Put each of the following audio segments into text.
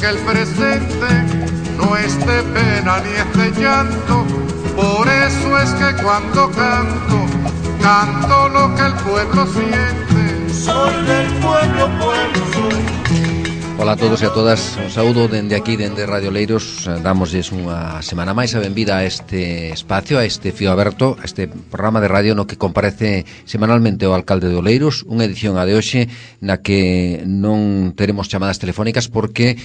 que el presente no es de pena ni es de llanto. Por eso es que cuando canto, canto lo que el pueblo siente. Soy del pueblo, pueblo soy. Ola a todos e a todas, un saúdo dende aquí, dende Radio Oleiros. Dámoslles unha semana máis a benvida a este espacio, a este fío aberto, a este programa de radio no que comparece semanalmente o alcalde de Oleiros. Unha edición a de hoxe na que non teremos chamadas telefónicas porque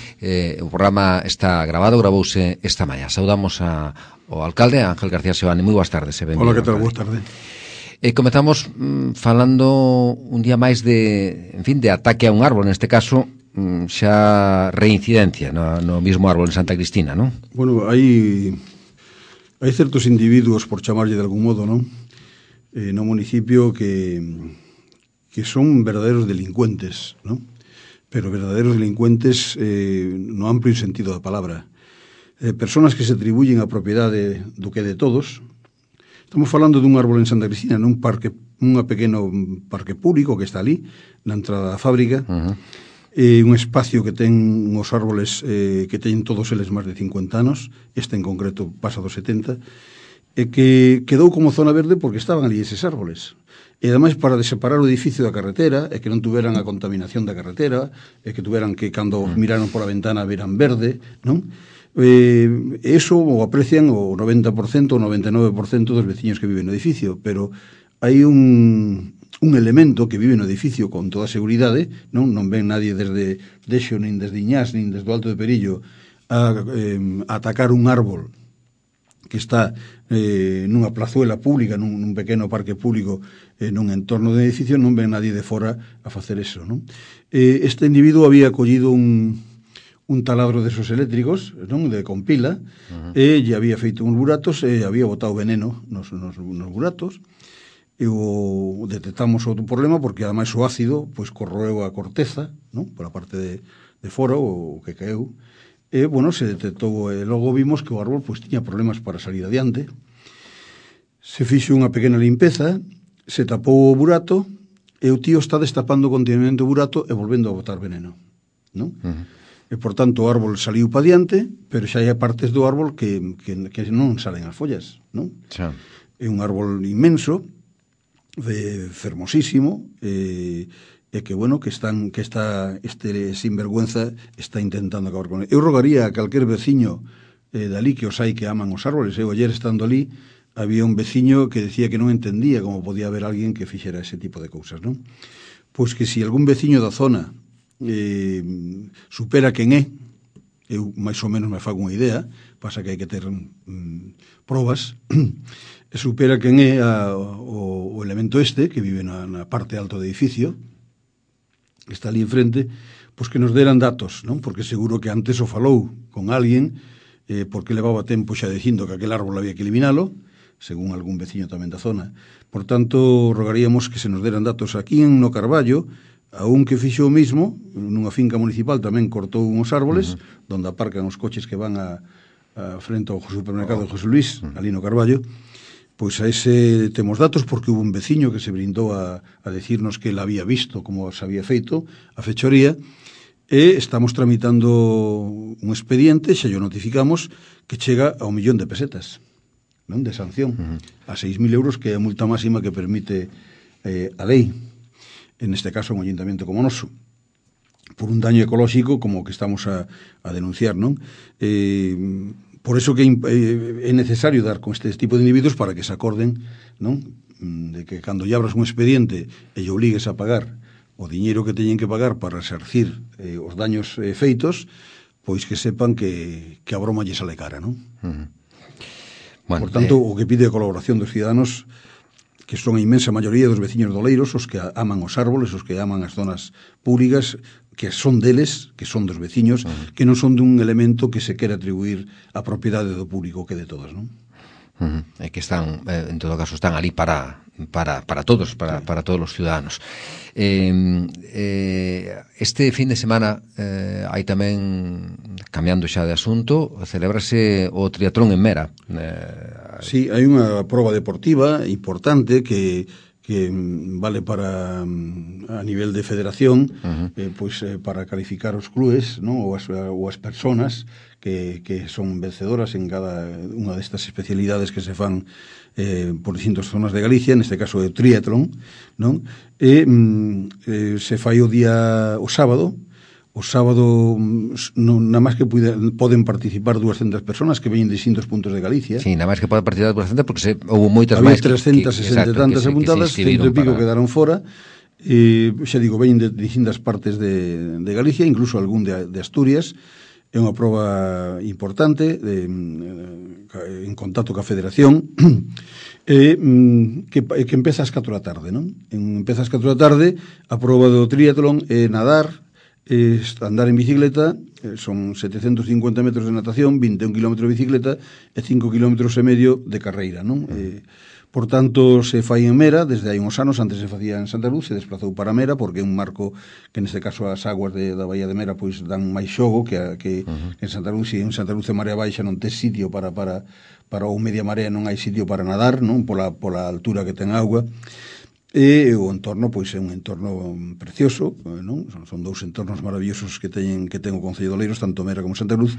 o programa está gravouse esta mañá. Saudamos ao alcalde, Ángel García Seoane. Moi boas tardes e benvido. Hola, que tal? Boas tardes. Comezamos falando un día máis de, en fin, de ataque a un árbol, neste caso xa reincidencia no mismo árbol en Santa Cristina, non? Bueno, hai certos individuos, por chamarlle de algún modo, non? No municipio que son verdaderos delincuentes, non? Pero verdaderos delincuentes no amplio sentido da palabra. Personas que se atribuyen a propiedade do que de todos. Estamos falando dun árbol en Santa Cristina, nun pequeno parque público que está ali, na entrada da fábrica. Un espacio que ten uns árboles que teñen todos eles máis de 50 anos, este en concreto pasa dos 70, e que quedou como zona verde porque estaban ali eses árboles. E ademais para separar o edificio da carretera, e que non tuveran a contaminación da carretera, e que tuveran que cando miraron pola ventana veran verde, non? Eso o aprecian o 90%, o 99% dos veciños que viven no edificio, pero hai un elemento que vive no edificio con toda a seguridade, non ven nadie desde Dexo, nin desde Iñás, nin desde o Alto de Perillo a atacar un árbol que está nunha plazuela pública, nun pequeno parque público, nun entorno de edificio, non ven nadie de fora a facer eso, non? Este individuo había collido un taladro desos eléctricos, non, de compila, e lle había feito uns buratos e había botado veneno nos buratos. E detectamos outro problema porque ademais o ácido pois corroeu a corteza, non? Por a parte de fora o que caeu. E, bueno, se detectou e logo vimos que o árbol pois tiña problemas para salir adiante. Se fixo unha pequena limpeza, se tapou o burato e o tío está destapando continuamente o burato e volvendo a botar veneno, non? E, por tanto, o árbol saliu pa diante, pero xa hai partes do árbol que non salen as follas, non? Xa. É un árbol inmenso, fermosísimo, e que, bueno, que este sinvergüenza está intentando acabar con ele. Eu rogaría a calquer veciño dali que os hai que aman os árboles. Eu ayer estando ali había un veciño que decía que non entendía como podía haber alguén que fixera ese tipo de cousas, non? Pois que si algún veciño da zona supera quen é, eu máis ou menos me fago unha idea, pasa que hai que ter probas, e supera quen é o elemento este que vive na parte alta do edificio, que está ali enfrente, pois que nos deran datos, non? Porque seguro que antes o falou con alguén, porque levaba tempo xa dicindo que aquel árbol había que eliminalo, según algún veciño tamén da zona. Por tanto, rogaríamos que se nos deran datos aquí en No Carballo, a un que fixo o mismo, nunha finca municipal tamén cortou uns árboles, donde aparcan os coches que van a frente ao supermercado de José Luis, ali no Carballo. Pois a ese temos datos porque hubo un veciño que se brindou a decirnos que ele había visto como se había feito a fechoría, e estamos tramitando un expediente, xa yo notificamos, que chega a 1 millón de pesetas, non, de sanción, a 6.000 euros, que é a multa máxima que permite a lei, en este caso un ayuntamiento como noso, por un daño ecolóxico como que estamos a denunciar, non? Por eso que é necesario dar con este tipo de individuos para que se acorden, non? De que cando lle abras un expediente e lle obligues a pagar o diñeiro que teñen que pagar para resarcir os daños feitos, pois que sepan que a broma lle sale cara, non? Bueno, por tanto, o que pide a colaboración dos ciudadanos, que son a inmensa maioría dos veciños de Oleiros, os que aman os árboles, os que aman as zonas públicas, que son deles, que son dos veciños, que non son dun elemento que se quere atribuir a propiedade do público, que de todos, non? É que están, en todo caso, están ali para todos, para todos os ciudadanos. Este fin de semana hai tamén, cambiando xa de asunto, celébrase o triatlón en Mera. Sí, hai unha proba deportiva importante que que vale para a nivel de federación, pois para calificar os clubes, non? ou as personas que son vencedoras en cada unha destas especialidades que se fan por distintas zonas de Galicia, neste caso é o triatlón, non? E se fai o sábado. O sábado nada máis que poden participar 200 personas que veñen de distintos puntos de Galicia. Sí, nada máis que poden participar 200 porque houve moitas máis. Había 360 e tantas apuntadas, 100 e pico quedaron fora. Xa digo, veñen de distintas partes de Galicia, incluso algún de Asturias. É unha proba importante en contacto ca Federación que empeza ás 4 da tarde, non? Empeza ás 4 da tarde, a proba do triatlón é nadar, andar en bicicleta, son 750 metros de natación, 21 km de bicicleta e 5 km e medio de carreira, non? Por tanto, se fai en Mera, desde hai uns anos, antes se facía en Santa Luz, se desplazou para Mera, porque é un marco que neste caso as aguas da Baía de Mera pois dan máis xogo que en Santa Luz, e en Santa Luz de Marea Baixa non ten sitio para o media marea, non hai sitio para nadar, non? Pola altura que ten auga. E o entorno pois é un entorno precioso, non? Son dous entornos maravillosos que ten o Concello de Oleiros, tanto Mera como Santa Luz.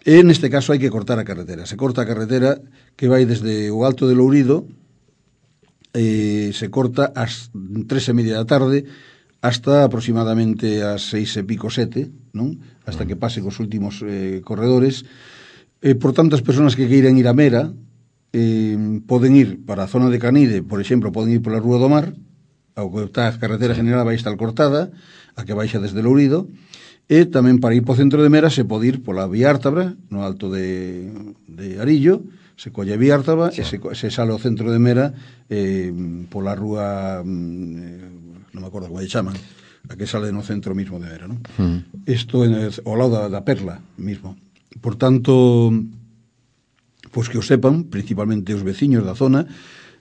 E neste caso hai que cortar a carretera. Se corta a carretera que vai desde o Alto de Lourido, se corta ás 3:30 da tarde hasta aproximadamente ás 6:30, 7, non? Hasta que pase cos últimos corredores. Por tanto, as persoas que queiran ir a Mera poden ir para a zona de Canide, por exemplo, poden ir pola Rúa do Mar, ao que está a carretera general vai estar cortada, a que baixa desde Lourido, e tamén para ir para o centro de Mera se pode ir pola Vía Ártabra, no alto de Arillo, se colle a Vía Ártabra, e se sale ao centro de Mera pola Rúa, non me acordo como lle chaman, a que sale no centro mismo de Mera, non? Isto ao lado da Perla mismo. Por tanto, pois que o sepan, principalmente os veciños da zona.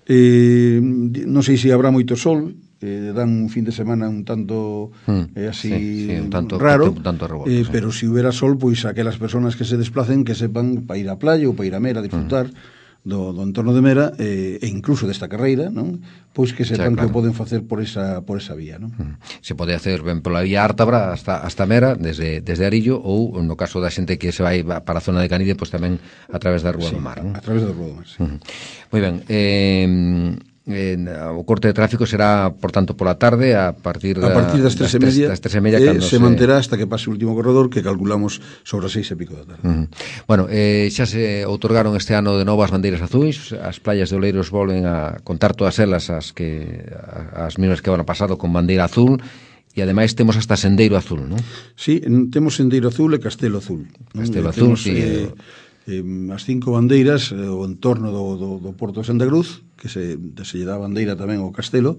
Non sei se habrá moito sol, dan un fin de semana un tanto así un tanto raro, un tanto revolto, pero se hubiera sol, pois aquelas persoas que se desplacen que sepan para ir á playa ou para ir a Mera a disfrutar do entorno de Mera e incluso desta carreira, non? Pois que sepan que o poden facer por esa vía, non? Se pode hacer ben pola Vía Ártabra hasta Mera, desde Arillo, ou no caso da xente que se vai para a zona de Canide, pois tamén a través da Rúa do Mar, non? A través da Rúa do Mar, sí. Moi ben, o corte de tráfico será, por tanto, pola tarde a partir das 3:30 se manterá hasta que pase o último corredor, que calculamos sobre as 6:00 da tarde. Bueno, xa se outorgaron este ano de novo as bandeiras azuis, as playas de Oleiros volven a contar todas elas as mesmas que o ano pasado con bandeira azul, e ademais temos hasta sendeiro azul, non? Sí, temos sendeiro azul e castelo azul. Castelo azul, sí. As 5 bandeiras, o entorno do Porto de Santa Cruz, que se lle dá bandeira tamén ao castelo,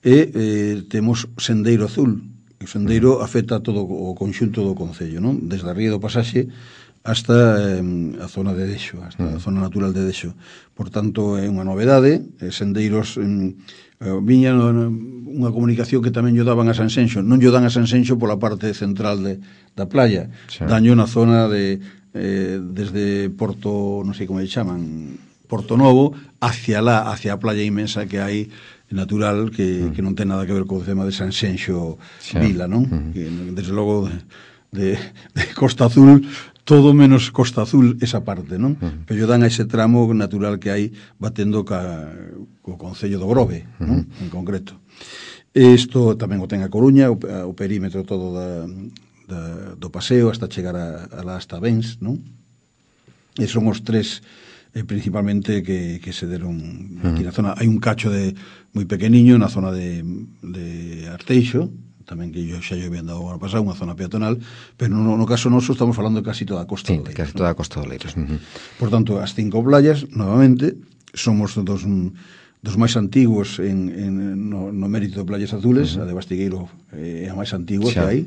e temos sendeiro azul. O sendeiro afecta todo o conxunto do concello, non? Desde a ría do Pasaxe hasta a zona de Dexo, hasta a zona natural de Dexo. Por tanto, é unha novedade. Sendeiros viña unha comunicación que tamén lle daban a Sanxenxo. Non lle dan a Sanxenxo pola parte central da playa, danlle na zona desde Porto, non sei como lle chaman, Porto Novo, hacia a playa inmensa que hai natural, que non ten nada que ver co tema de Sanxenxo Vila, non? Que, desde logo de Costa Azul, todo menos Costa Azul esa parte, non? Pero dan a ese tramo natural que hai batendo co Concello do Grove, non? En concreto. Isto tamén o ten a Coruña, o perímetro todo do paseo hasta chegar hasta Bens, non? E son os tres principalmente que se deron aquí na zona. Hai un cacho moi pequeniño na zona de Arteixo, tamén que xa lle habían dado ano pasado, unha zona peatonal, pero no caso noso estamos falando de casi toda a costa de Oleiros. Casi toda a costa de Oleiros. Por tanto, as 5 playas, novamente, somos dos máis antigos no mérito de playas azules. A de Bastigueiro é a máis antigua que hai,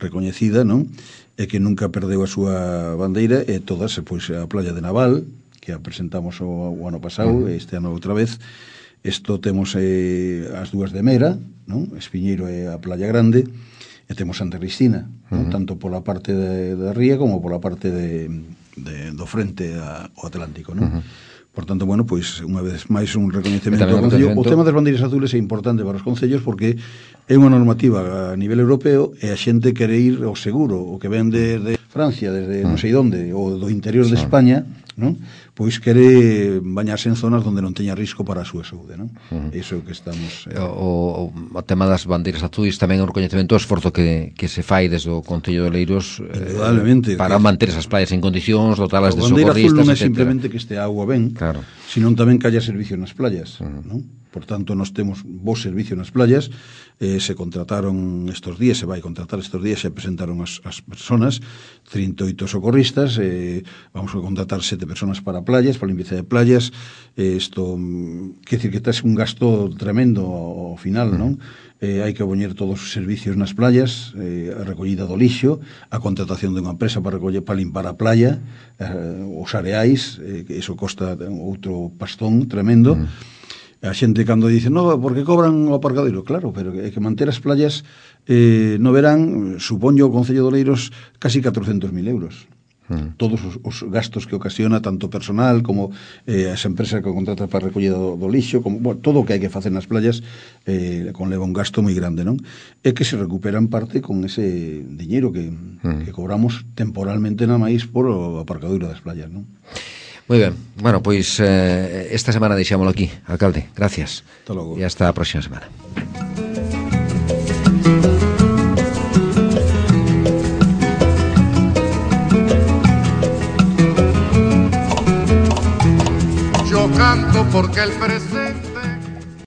recoñecida, non? E que nunca perdeu a súa bandeira, e todas, pois, a playa de Naval, que a presentamos o ano pasado, este ano outra vez. Isto temos as dúas de Mera, non? Espiñeiro e a Playa Grande, e temos Santa Cristina, non? Tanto pola parte da ría como pola parte do frente ao Atlántico, non? Por tanto, bueno, pois unha vez máis un recoñecemento ao Concello. O tema das bandeiras azules é importante para os concellos porque é unha normativa a nivel europeo e a xente quere ir ao seguro, o que ven de Francia, desde non sei onde, ou do interior de España, non? Pois quere bañarse en zonas onde non teña risco para a súa saúde, non? Iso é o que estamos... O tema das bandeiras azuis tamén é un recoñecemento ao esforzo que se fai desde o Concello de Oleiros para manter esas playas en condicións, dotalas de socorristas, etc. A bandeira azul non é simplemente que este agua ben, claro, senón tamén que haya servicio nas playas, non? Por tanto, nós temos bo servicio nas playas, se contrataron estes días, se vai contratar estes días, se presentaron as personas, 38 socorristas, vamos a contratar 7 personas para playas, para limpieza de playas, isto, quer decir que tes un gasto tremendo ao final, non? Hai que poñer todos os servicios nas playas, a recollida do lixo, a contratación de unha empresa para limpar a playa, os areais, que iso costa outro pastón tremendo. A xente cando dice, no, porque cobran o aparcadoiro, claro, pero é que manter as playas no verán, supoño o Concello de Oleiros casi 400.000 euros. Todos os gastos que ocasiona, tanto personal como as empresas que contratan para a recollida do lixo, como, bueno, todo o que hai que facer nas playas conleva un gasto moi grande, non? É que se recuperan parte con ese diñeiro que cobramos temporalmente na máis por o aparcadoiro das playas, non? Moi ben, bueno, pois esta semana deixámoslo aquí, alcalde, gracias. Hasta logo. E hasta a próxima semana.